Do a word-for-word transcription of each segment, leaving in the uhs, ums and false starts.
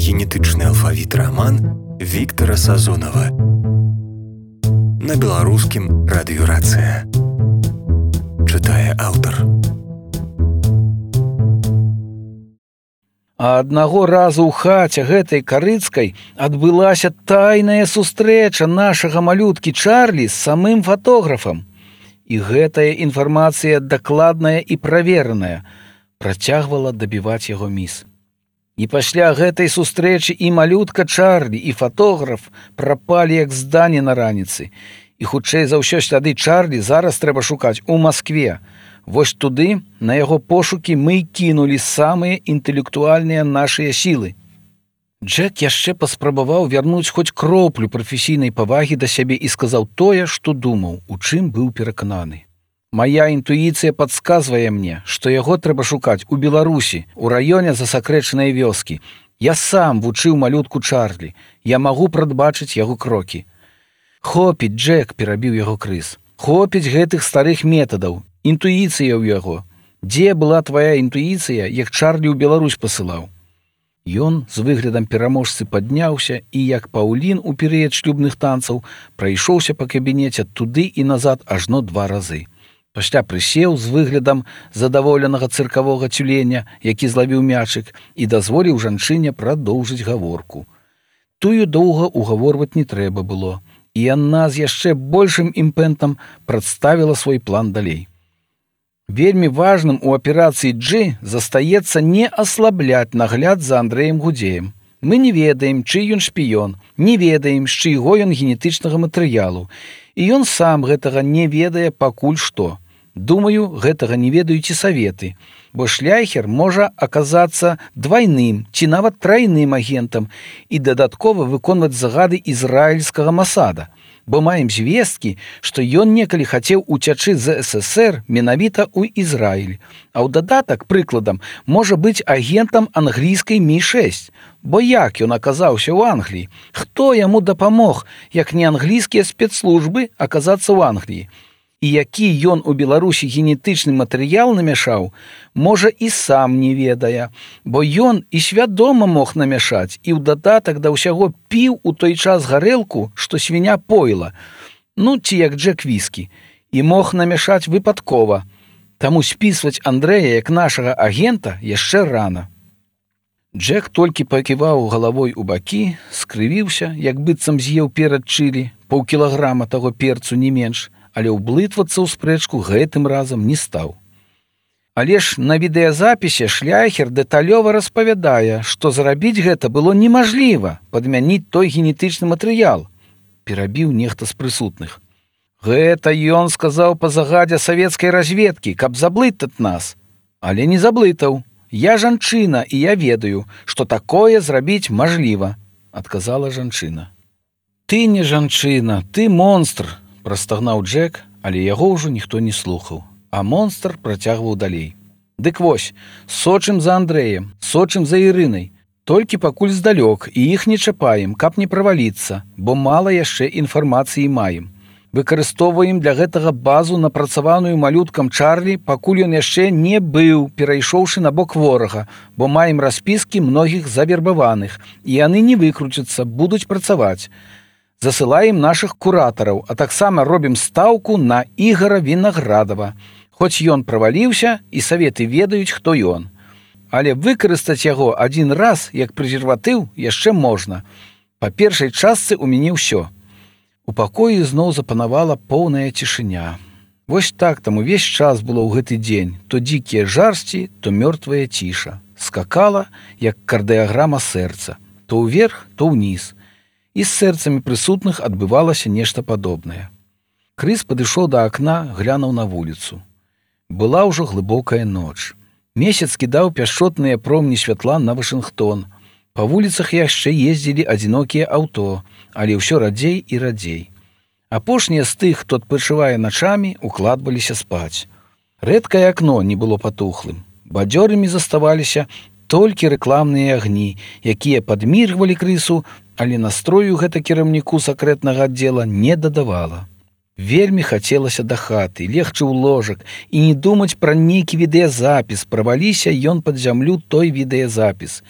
генетычны алфавіт раман Віктара Сазонава. На беларускім радыёрацыя. Чытае аўтар. А аднаго разу ў хаце гэтай карыцкай адбылася тайная сустрэча нашага малюткі Чарлі з самым фатографам. І гэтая інфармацыя дакладная і правераная працягвала дабіваць яго міс. І пасля гэтай сустрэчы і малютка Чарлі, і фатограф прапалі як здані на раніцы. І хутчэй за ўсё сляды Чарлі зараз трэба шукаць у Маскве. Вось туды, на яго пошукі, мы кінулі самыя інтэлектуальныя нашыя сілы. Джек яшчэ паспрабаваў вярнуць хоць кроплю прафесійнай павагі да сябе і сказаў тое, што думаў, у чым быў перакананы. Мая інтуіцыя падказвае мне, што яго трэба шукаць у Беларусі, у раёне засакрэчанай вёскі. Я сам вучыў малютку Чарлі. Я магу прадбачыць яго крокі. Хопіць, Джек, перабіў яго Крыс. Хопіць гэтых старых метадаў. Інтуіцыя ў яго. Дзе была твая інтуіцыя, як Чарлі ў Беларусь пасылаў? Ён з выглядам пераможцы падняўся і, як паўлін у перыяд шлюбных танцаў, прайшоўся па кабінеце туды і назад ажно два разы. Пасля прысеў з выглядам задаволенага цыркавога цюленя, які злавіў мячык, і дазволіў жанчыне прадоўжыць гаворку. Тую доўга угаворваць не трэба было, і яна з яшчэ большым імпэтам прадставіла свой план далей. Вельмі важным у аперацыі G застаецца не аслабляць нагляд за Андрэем Гудзеем. Мы не ведаем, чый ён шпіён, не ведаем, з чыйго ён генетычнага матэрыялу, і ён сам гэтага не ведае пакуль што. Думаю, гэтага не ведаюць і саветы, бо шляхер можа аказацца двайным ці нават трайным агентам і дадаткова выконваць загады ізраільскага Масада, бо маем звесткі, што ён некалі хацеў уцячы з эс эс ер менавіта ў Ізраіль, а ў дадатак, прыкладам, можа быць агентам англійскай Мі шэсць, бо як ён аказаўся ў Англіі? Хто яму дапамог, як не англійскія спецслужбы, аказацца ў Англіі? І які ён у Беларусі генетычны матэрыял намяшаў, можа і сам не ведае, бо ён і свядома мог намяшаць, і ў дадатак да ўсяго піў у той час гарэлку, што свіня пойла, ну ці як Джек віскі, і мог намяшаць выпадкова. Таму спісваць Андрэя як нашага агента яшчэ рана. Джек толькі паківаў галавой у бакі, скрывіўся, як быццам з'еў перад чылі, паўкілаграма таго перцу не менш, але ўблытвацца ў спрэчку гэтым разам не стаў. Але ж на відэазапісе шляхер дэталёва распавядае, што зрабіць гэта было немажліва, падмяніць той генетычны матэрыял, перабіў нехта з прысутных. Гэта ён сказаў па загадзе савецкай разведкі, каб заблытаць нас. Але не заблытаў. Я жанчына, і я ведаю, што такое зрабіць мажліва, адказала жанчына. Ты не жанчына, ты монстр, прастагнаў Джек, але яго ўжо ніхто не слухаў, а монстр працягваў далей. Дык вось, сочым за Андрэем, сочым за Ірынай, толькі пакуль здалёк, і іх не чапаем, каб не праваліцца, бо мала яшчэ інфармацыі маем. Выкарыстоўваем для гэтага базу, напрацаваную малюткам Чарлі, пакуль ён яшчэ не быў, перайшоўшы на бок ворага, бо маем распіскі многіх завербаваных, і яны не выкруцяцца, будуць працаваць. Засылаем нашых куратараў, а таксама робім стаўку на Ігара Вінаградава. Хоць ён праваліўся, і саветы ведаюць, хто ён. Але выкарыстаць яго адзін раз, як прэзерватыў, яшчэ можна. Па першай частцы ў мяне ўсё. У пакоі зноў запанавала поўная цішыня. Вось так там увесь час было ў гэты дзень. То дзікія жарсці, то мёртвая ціша. Скакала, як кардыяграма сэрца. То ўверх, то ўніз. І з сэрцамі прысутных адбывалася нешта падобнае. Крыс падышоў да акна, глянуў на вуліцу. Была ўжо глыбокая ноч. Месяц кідаў пяшчотныя промні святла на Вашынгтон. Па вуліцах яшчэ ездзілі адзінокія аўто, але ўсё радзей і радзей. Апошнія з тых, хто адпачывае начамі, укладваліся спаць. Рэдкае акно не было патухлым. Бадзёрымі заставаліся толькі рэкламныя агні, якія падміргвалі Крысу, але настрою гэта кіраўніку сакрэтнага аддзела не дадавала. Вельмі хацелася да хаты, легчы ў ложак і не думаць пра нейкі відэазапіс, праваліся ён пад зямлю той відэазапіс.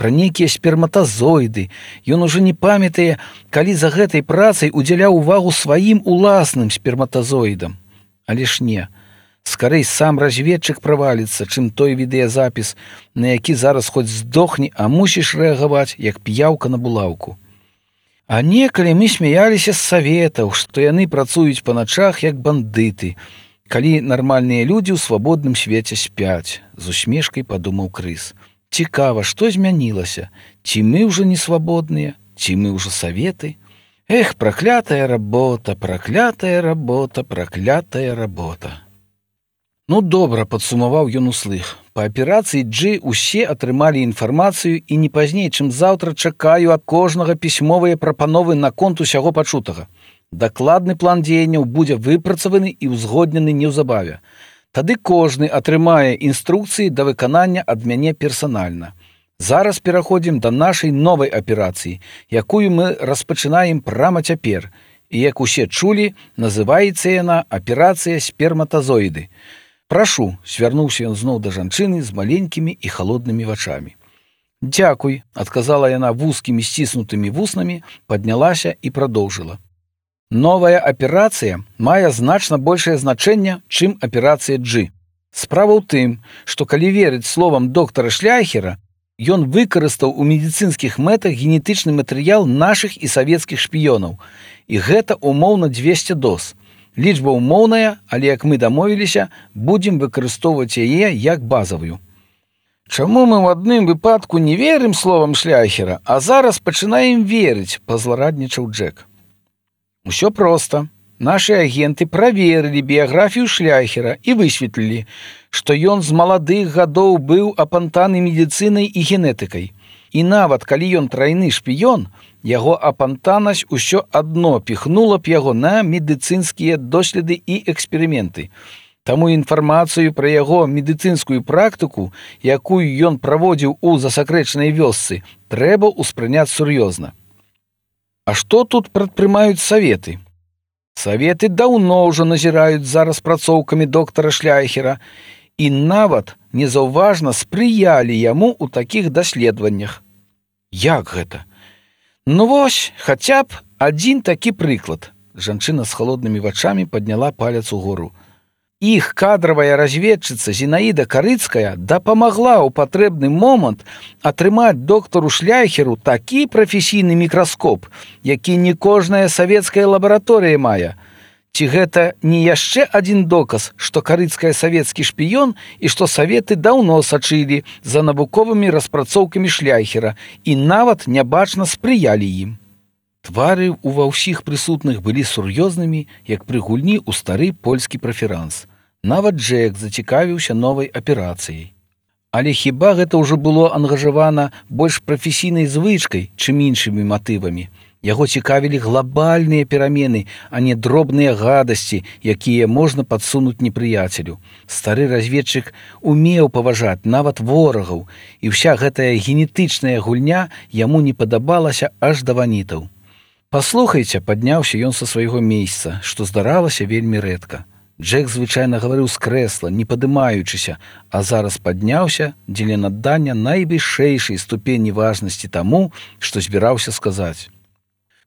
пра нейкія сперматазоіды. Ён ужо не памятае, калі за гэтай працай удзяляў увагу сваім уласным сперматазоідам. Але ж не. Скарэй сам разведчык праваліцца, чым той відэазапіс, на які зараз хоць здохне, а мусіш рэагаваць, як п'яўка на булаўку. А некалі мы смяяліся з саветаў, што яны працуюць па начах, як бандыты, калі нармальныя людзі ў свабодным свеце спяць, з усмешкай падумаў Крыс. Цікава, што змянілася? Ці мы ўжо не свабодныя, ці мы ўжо саветы? Эх, праклятая работа, праклятая работа, праклятая работа. Ну, добра, падсумаваў ён услых. Па аперацыі Джи усе атрымалі інфармацыю і не пазней, чым заўтра чакаю ад кожнага пісьмовыя прапановы наконт усяго пачутага. Дакладны план дзеянняў будзе выпрацаваны і ўзгоднены неўзабаве. Тады кожны атрымае інструкцыі да выканання ад мяне персанальна. Зараз пераходзім да нашай новай аперацыі, якую мы распачынаем прама цяпер. І, як усе чулі, называецца яна аперацыя сперматазоіды. Прашу, свярнуўся ён зноў да жанчыны з маленькімі і халоднымі вачамі. Дзякуй, адказала яна вузкімі сціснутымі вуснамі, паднялася і прадоўжыла. Новая аперацыя мае значна большае значэнне, чым аперацыя Джи. Справа ў тым, што калі верыць словам доктара Шляйхера, ён выкарыстаў у медыцынскіх мэтах генетычны матэрыял нашых і савецкіх шпіёнаў. І гэта умоўна дзвесце доз. Лічба ўмоўная, але, як мы дамовіліся, будзем выкарыстоўваць яе як базавую. Чаму мы ў адным выпадку не верым словам Шляйхера, а зараз пачынаем верыць, пазлараднічаў Джек. Усё проста. Нашы агенты праверылі біяграфію Шляйхера і высветлілі, што ён з маладых гадоў быў апантаны медыцынай і генетыкай. І нават калі ён трайны шпіён, яго апантанасць усё адно піхнула б яго на медыцынскія доследы і эксперыменты. Таму інфармацыю пра яго медыцынскую практыку, якую ён праводзіў у засакрэчанай вёсцы, трэба ўспрыняць сур'ёзна. А што тут прадпрымаюць саветы? Саветы даўно ўжо назіраюць за распрацоўкамі доктара Шляйхера і нават незаўважна спрыялі яму ў такіх даследаваннях. Як гэта? Ну вось, хаця б адзін такі прыклад. Жанчына з халоднымі вачамі падняла палец угору. Іх кадравая разведчыца Зінаіда Карыцкая дапамагла ў патрэбны момант атрымаць доктару Шляйхеру такі прафесійны мікраскоп, які не кожная савецкая лабараторыя мае. Ці гэта не яшчэ адзін доказ, што Карыцкая савецкі шпіён і што саветы даўно сачылі за навуковымі распрацоўкамі Шляйхера і нават нябачна спрыялі ім. Твары ува ўсіх прысутных былі сур'ёзнымі, як пры гульні ў стары польскі праферанс. Нават Джек зацікавіўся новай аперацыяй. Але хіба гэта ўжо было ангажавана больш прафесійнай звычкай, чым іншымі матывамі? Яго цікавілі глобальныя перамены, а не дробныя гадасці, якія можна падсунуць непрыяцелю. Стары разведчык умеў паважаць нават ворагаў, і ўся гэтая генетычная гульня яму не падабалася аж да ванітаў. Паслухайце, падняўся ён са свайго месца, што здаралася вельмі рэдка. Джек звычайна гаварыў з крэсла, не падымаючыся, а зараз падняўся дзеля надання найвышэйшай ступені важнасці таму, што збіраўся сказаць.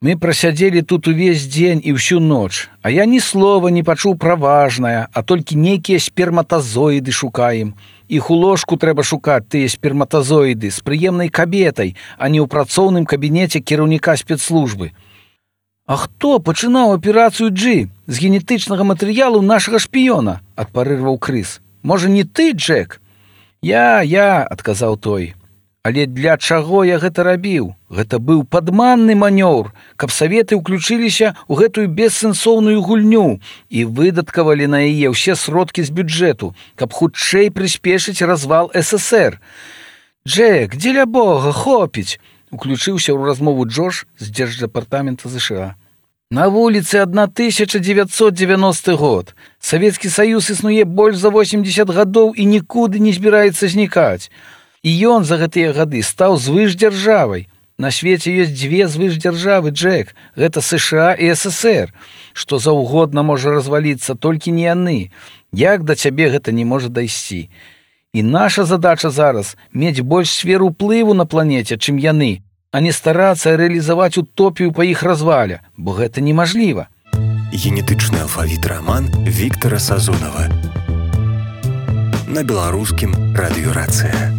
Мы прасядзелі тут увесь дзень і ўсю ноч, а я ні слова не пачуў пра важнае, а толькі нейкія сперматазоіды шукаем. Іх у ложку трэба шукаць, тыя сперматазоіды, з прыемнай кабетай, а не ў працоўным кабінеце кіраўніка спецслужбы. А хто пачынаў аперацыю Джи з генетычнага матэрыялу нашага шпіёна? Адпарырваў Крыс. Можа, не ты, Джек? Я, я, адказаў той. Але для чаго я гэта рабіў? Гэта быў падманны манёўр, каб саветы ўключыліся ў гэтую бессэнсоўную гульню і выдаткавалі на яе ўсе сродкі з бюджэту, каб хутчэй прыспешыць развал эс эс ер. Джек, дзеля бога, хопіць! Уключыўся ў размову Джош з дзярждэпартамента ЗША. На вуліцы тысяча дзевяцьсот дзевяносты год. Савецкі Саюз існуе больш за восемьдесят гадоў і нікуды не збіраецца знікаць. І ён за гэтыя гады стаў звышдзяржавай. На свеце ёсць дзве звышдзяржавы, Джек. Гэта США і эс эс ер. Што заўгодна можа разваліцца, толькі не яны. Як да цябе гэта не можа дайсці? І наша задача зараз мець больш сферу ўплыву на планеце, чым яны, а не старацца рэалізаваць утопію па іх развале, бо гэта немажліва. Генетычны алфавіт раман Віктара Сазонава. На беларускім радыё Рацыя.